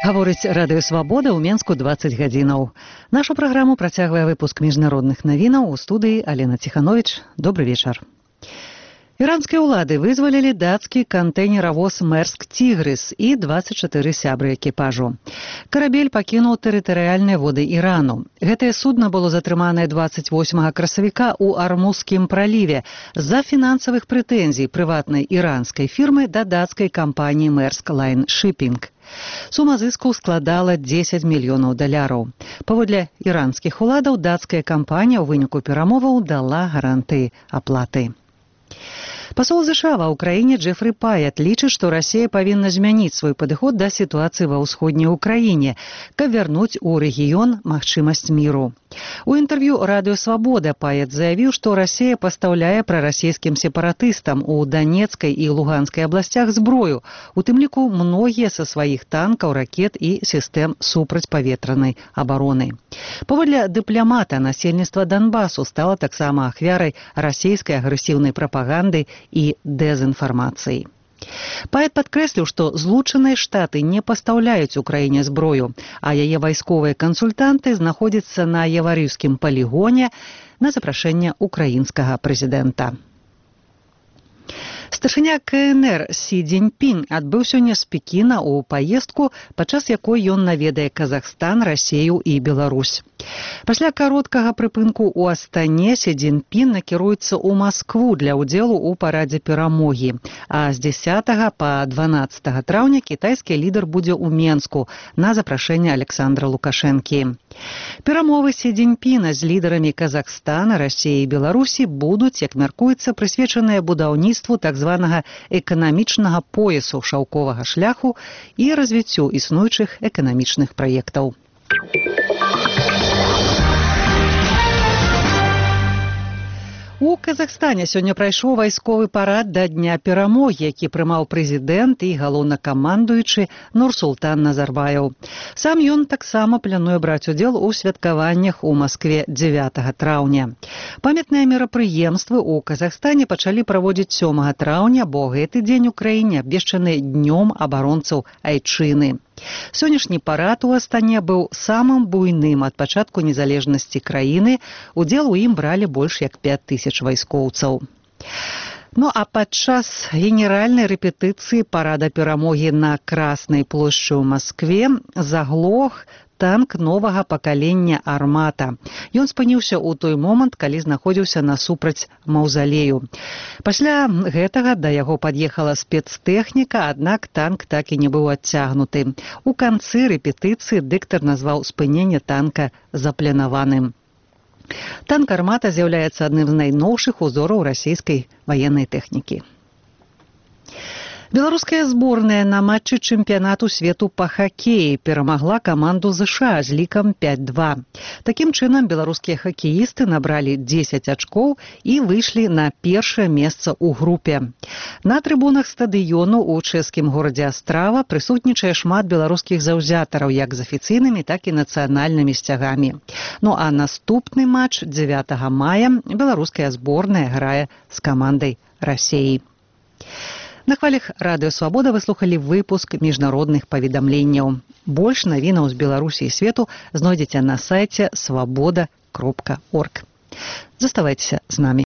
Гаворыць радыё «Свабода» ў Менску 20 гадзінаў. Нашу праграму працягвае выпуск міжнародных навінаў. У студыі Алена Ціханович. Добры вечар. Іранскія ўлады вызвалілі дацкі кантэйнеравоз «Мерск Тігрис» і 24 сябры экіпажу. Карабель пакінуў тэрытарыяльныя воды Ірану. Гэтае судна было затрыманае 28 красавіка ў Армузскім праліве з-за фінансавых прэтэнзій прыватнай іранскай фірмы да дацкай кампаніі «Мерск Лайн Шиппінг». Сума зыску складала $10 мільёнаў. Паводле іранскіх уладаў, дацкая кампанія ў выніку перамоваў дала гарантыі аплаты. Пасол США ва ўкраіне Джефры Паят лічыць, што Расія павінна змяніць свой падыход да сітуацыі ва ўсходняй Украіне, каб вярнуць у рэгіён магчымасць міру. У інтэрв'ю радыё «Свабода» Паят заявіў, што Расія пастаўляе прарасійскім сепаратыстам у Данецкай і Луганскай абласцях зброю, у тым ліку многія са сваіх танкаў, ракет і сістэм супрацьпаветранай абароны. Паводле дыпламата, насельніцтва Донбасу стала таксама ахвярай расійскай агрэсіўнай прапаганды і дэзінфармацыі. Паят падкрэсліў, што Злучаныя Штаты не пастаўляюць Украіне зброю, а яе вайсковыя кансультанты знаходзяцца на Яварыўскім палігоне на запрашэнне украінскага прэзідэнта. Старшыня КНР Сі Цзіньпін адбыў сёння з Пекіна ў паездку, падчас якой ён наведае Казахстан, Расію і Беларусь. Пасля кароткага прыпынку ў Астане Сі Цзіньпін накіруецца ў Маскву для ўдзелу ў парадзе перамогі, а з 10 па 12 траўня кітайскі лідар будзе ў Менску на запрашэнне Александра Лукашэнкі. Перамовы Сі Цзіньпіна з лідарамі Казахстана, Расіі і Беларусі будуць, як мяркуецца, прысвечаныя будаўніцтву так званага эканамічнага поясу шаўковага шляху і развіццю існуючых эканамічных праектаў. У Казахстане сёння прайшоў вайсковы парад да Дня перамогі, які прымаў прэзідэнт і галоўнакамандуючы Нурсултан Назарбаеў. Сам ён таксама плануе браць удзел у святкаваннях у Маскве 9 траўня. Памятныя мерапрыемствы ў Казахстане пачалі праводзіць 7 траўня, бо гэты дзень у краіне абвешчаны днём абаронцаў Айчыны. Сённяшні парад у Астане быў самым буйным ад пачатку незалежнасці краіны. Удзел у ім бралі больш як 5000 вайскоўцаў. Ну а падчас генеральнай рэпетыцыі парада перамогі на Краснай плошчы ў Маскве заглох танк новага пакалення «Армата». Ён спыніўся ў той момант, калі знаходзіўся насупраць маўзалею. Пасля гэтага да яго пад'ехала спецтэхніка, аднак танк так і не быў адцягнуты. У канцы рэпетыцыі дыктар назваў спыненне танка запланаваным. Танк «Армата» з'яўляецца адным з найноўшых узораў расійскай ваеннай тэхнікі. Беларуская зборная на матчы чэмпіянату свету па хакеі перамагла каманду ЗША з лікам 5-2. Такім чынам, беларускія хакеісты набралі 10 ачкоў і выйшлі на першае месца ў групе. На трыбунах стадыёну ў чэшскім горадзе Астрава прысутнічае шмат беларускіх заўзятараў як з афіцыйнымі, так і нацыянальнымі сцягамі. Ну а наступны матч 9 мая беларуская зборная грае з камандай Расіі. На хвалях радыё «Свабода» вы слухалі выпуск міжнародных паведамленняў. Больш навінаў з Беларусі і свету знойдзеце на сайце свабода.орг. Заставайцеся з намі.